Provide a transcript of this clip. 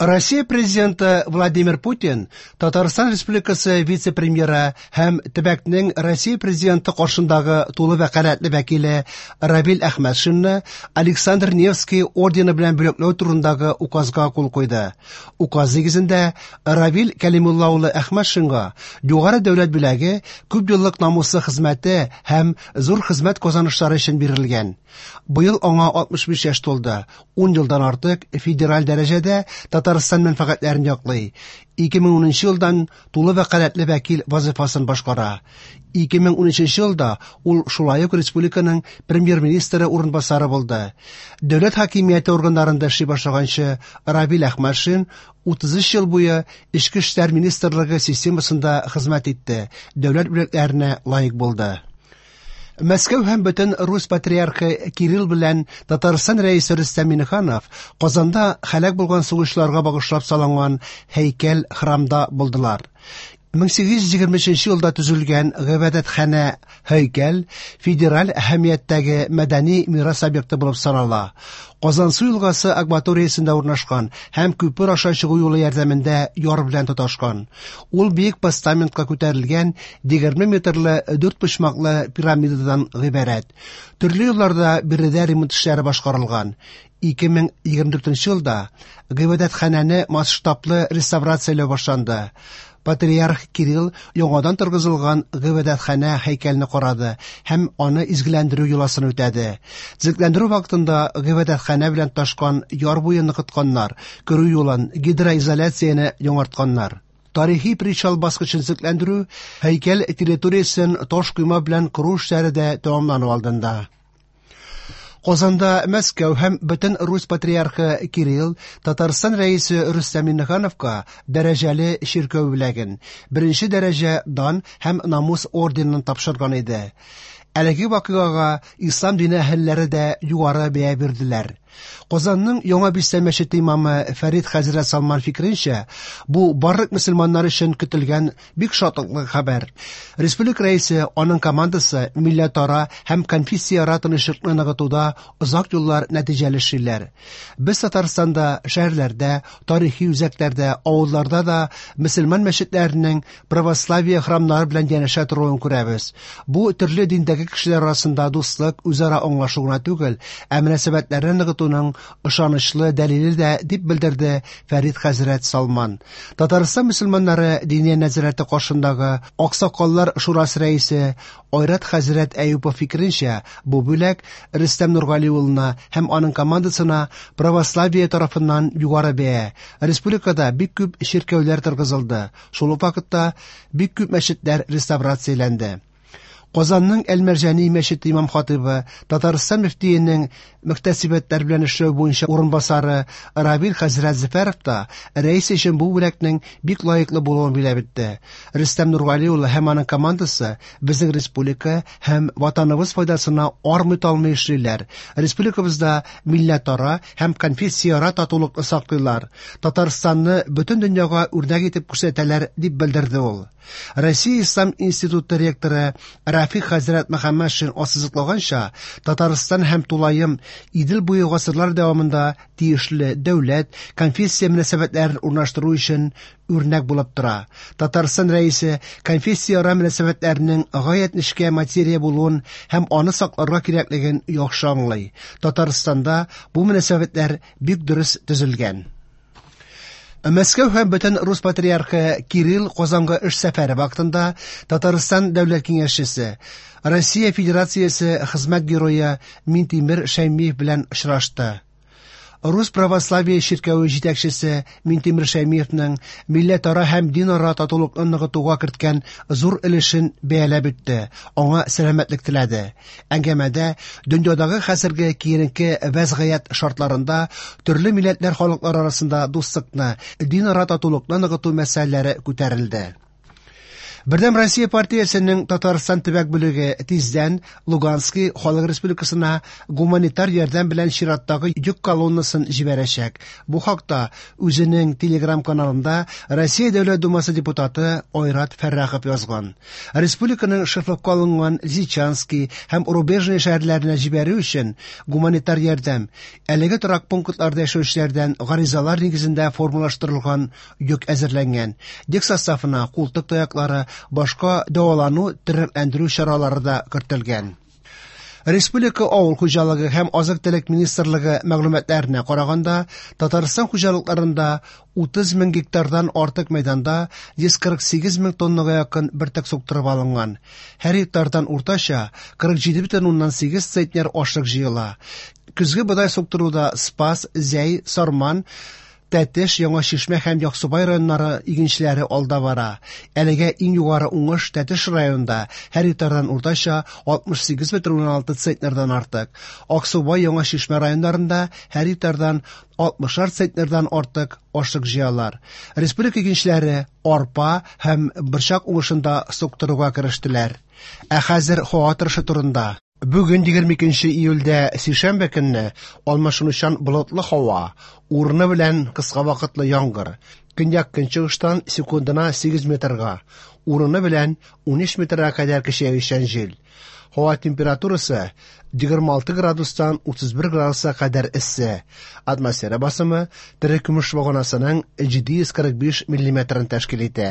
Россия Президенты Владимир Путин Татарстан Республикасы вице-премьеры һәм төбәкнең Россия Президенты каршындагы тулы вәкаләтле вәкиле Равил Әхмәтшинны Александр Невский ордены белән бүләкләү турындагы указга кул куйды. Указ нигезендә Равил Кәлимулла улы Әхмәтшинга югары дәүләт бүләге күп еллык намуслы хезмәте һәм зур хезмәт казанышлары өчен бирелгән. Быел аңа 65 яшь тулды. 10 елдан артык федераль дәрәҗәдә Татарстан мәнфәгатьләрен яклый. 2010 елдан тулы вәкаләтле вәкил вазифасын башкара. 2013 елда ул шулай ук республиканың премьер-министры урынбасары булды. Дәүләт хакимияте органнарында эшли башлаганчы Равил Әхмәтшин 33 ел буе Эчке эшләр министрлыгы системасында хезмәт итте, дәүләт бүләкләренә лаек булды. Мәскәү һәм бөтен Русь патриархы Кирилл белән Татарстан рәисе Рөстәм Миңнеханов Казанда һәлак булган сугышчыларга багышлап салынган һәйкәл храмда булдылар. 1823 елда төзелгән гыйбадәтханә һәйкәл федераль әһәмияттәге мәдәни мирас объекты булып санала. Казансу елгасы акваториясендә урнашкан һәм күпер аша чыгу юлы ярдәмендә яр белән тоташкан. Ул биек постаментка күтәрелгән 20 метрлы дүртпочмаклы пирамидадан гыйбарәт. Төрле елларда биредә ремонт эшләре башкарылган. 2024 елда гыйбадәтханәне масштаблы реставрацияләү башланды. Патриарх Кирилл яңадан торгызылган гыйбадәтханә һәйкәлне карады һәм аны изгеләндерү йоласын үтәде. Төзекләндерү вакытында гыйбадәтханә белән тоташкан яр буен ныгытканнар, керү юлын, гидроизоляцияне яңартканнар. Тарихи причал баскычын төзекләндерү, һәйкәл территориясен таш койма белән кору эшләре дә тәмамлану алдында. Казанда Мәскәү һәм бөтен Русь патриархы Кирилл Татарстан рәисе Рөстәм Миңнехановка дәрәҗәле чиркәү бүләген, беренче дәрәҗә дан һәм намус орденын тапшырган иде. Әлеге вакыйгага ислам дине әһелләре дә югары бәя бирделәр. Казанның Яңа Бистә мәчете имамы Фәрид хәзрәт Салман фикеренчә, бу барлык мөселманнар өчен көтелгән бик шатлыклы хәбәр. Республика рәисе, аның командасы милләтара һәм конфессияара тынычлыкны ныгытуда озак еллар нәтиҗәле эшлиләр. Без Татарстанда, шәһәрләрдә, тарихи үзәкләрдә, авылларда да мөселман мәчетләренең православие храмнары белән янәшә торуын күрәбез. Бу төрле диндәге кешеләр арасында дуслык, үзара аңлашу гына түгел, ә мөнәсәбәтләрне ныгытуның ышанычлы дәлиле дә, дип белдерде Фәрид хәзрәт Салман. Татарстан мөселманнары Диния нәзарәте каршындагы Аксакаллар шурасы рәисе Айрат хәзрәт Әюпов фикеренчә, бу бүләк Рөстәм Нургали улына һәм аның командасына православие тарафыннан югары бәя. Республикада бик күп чиркәүләр торгызылды. Шул ук вакытта бик күп мәчетләр реставрацияләнде. Казанның Әл-Мәрҗани мәчете имам-хатыйбы, Татарстан мөфтиенең мөхтәсибәтләр белән эшләү буенча урынбасары Равил хәзрәт Зөфәров та рәис өчен бу бүләкнең бик лаеклы булуын биләп үтте. Рөстәм Нургали улы һәм аның командасы безнең республика һәм Ватаныбыз файдасына армый-талмый эшлиләр. Республикабызда милләтара һәм конфессияара татулыкны саклыйлар. Татарстанны бөтен дөньяга үрнәк итеп күрсәтәләр, дип белдерде ул. Россия Ислам институты ректоры Рафик хәзрәт Мөхәммәтшин ассызыклаганча, Татарстан һәм тулаем Идел буе гасырлар дәвамында тиешле дәүләт, конфессия мөнәсәбәтләрен урнаштыру өчен үрнәк булып тора. Татарстан рәисе конфессияара мөнәсәбәтләрнең гаять нечкә материя булуын һәм аны сакларга кирәклеген яхшы аңлый. Татарстанда бу мөнәсәбәтләр бик дөрес төзелгән. Мәскәү һәм бөтен Рус патриархы Кирилл Казанга эш сәфәре вакытында Татарстан дәүләт киңәшчесе, Россия Федерациясе хезмәт герое Минтимер Шәймиев белән очрашты. Рус православие чиркәве җитәкчесе Минтимер Шәймиевның милләтара һәм динара татулыкны ныгытуга керткән зур өлешен бәяләп үтте, аңа сәламәтлек теләде. Әңгәмәдә дөньядагы хәзерге киеренке вәзгыять шартларында төрле милләтләр халыклар арасында дуслыкны, динара татулыкны ныгыту мәсьәләләре күтәрелде. Бердәм Россия партиясенең Татарстан төбәк бүлеге тиздән Лугански Халык Республикасына гуманитар ярдәм белән чираттагы йөк колоннасын җибәрәчәк. Бу хакта үзенең Телеграм-каналында Россия Дәүләт Думасы депутаты Айрат Фәррахов язган. Республиканың шефлыкка алынган Лисичански һәм Рубежное шәһәрләренә җибәрү өчен гуманитар ярдәм әлеге торак пунктларда яшәүчеләрдән гаризалар нигезендә формалаштырылган йөк әзерләнгән. Йөк составына култык таяклары, башка дәвалану, тернәкләндерү чаралары да кертелгән. Республика авыл хуҗалыгы һәм азык-төлек министрлыгы мәгълүматларына караганда, Татарстан хуҗалыкларында 30 мең гектардан артык мәйданда 148 мең тоннага якын бөртек суктырып алынган. Һәр гектардан уртача 47,8 центнер ашлык җыела. Көзге бодай суктыруда Спас, Зәй, Сарман, Тәтеш, Яңа Чишмә һәм Яхшыбай районнары игенчеләре алда бара. Әлегә иң югары уңыш Тәтеш районында һәр гектардан уртача 68,6 центнердан артык. Аксубай, Яңа Чишмә районнарында һәр гектардан 60 центнердан артык ашлык җыялар. Республика игенчеләре арпа һәм борчак уңышын да суктыруга керештеләр. Ә хәзер һава торышы турында. Бүген 22 июльдә сишәмбе көнне алмашынучан болытлы һава, урыны белән кыска вакытлы яңгыр. Көньяк-көнчыгыштан секундына 8 метрга, урыны белән 13 метрга кадәр көчәючән җил. Һава температурасы 26 градустан 31 градуска кадәр эссе. Атмосфера басымы терекөмеш баганасының 745 миллиметрын тәшкил итә.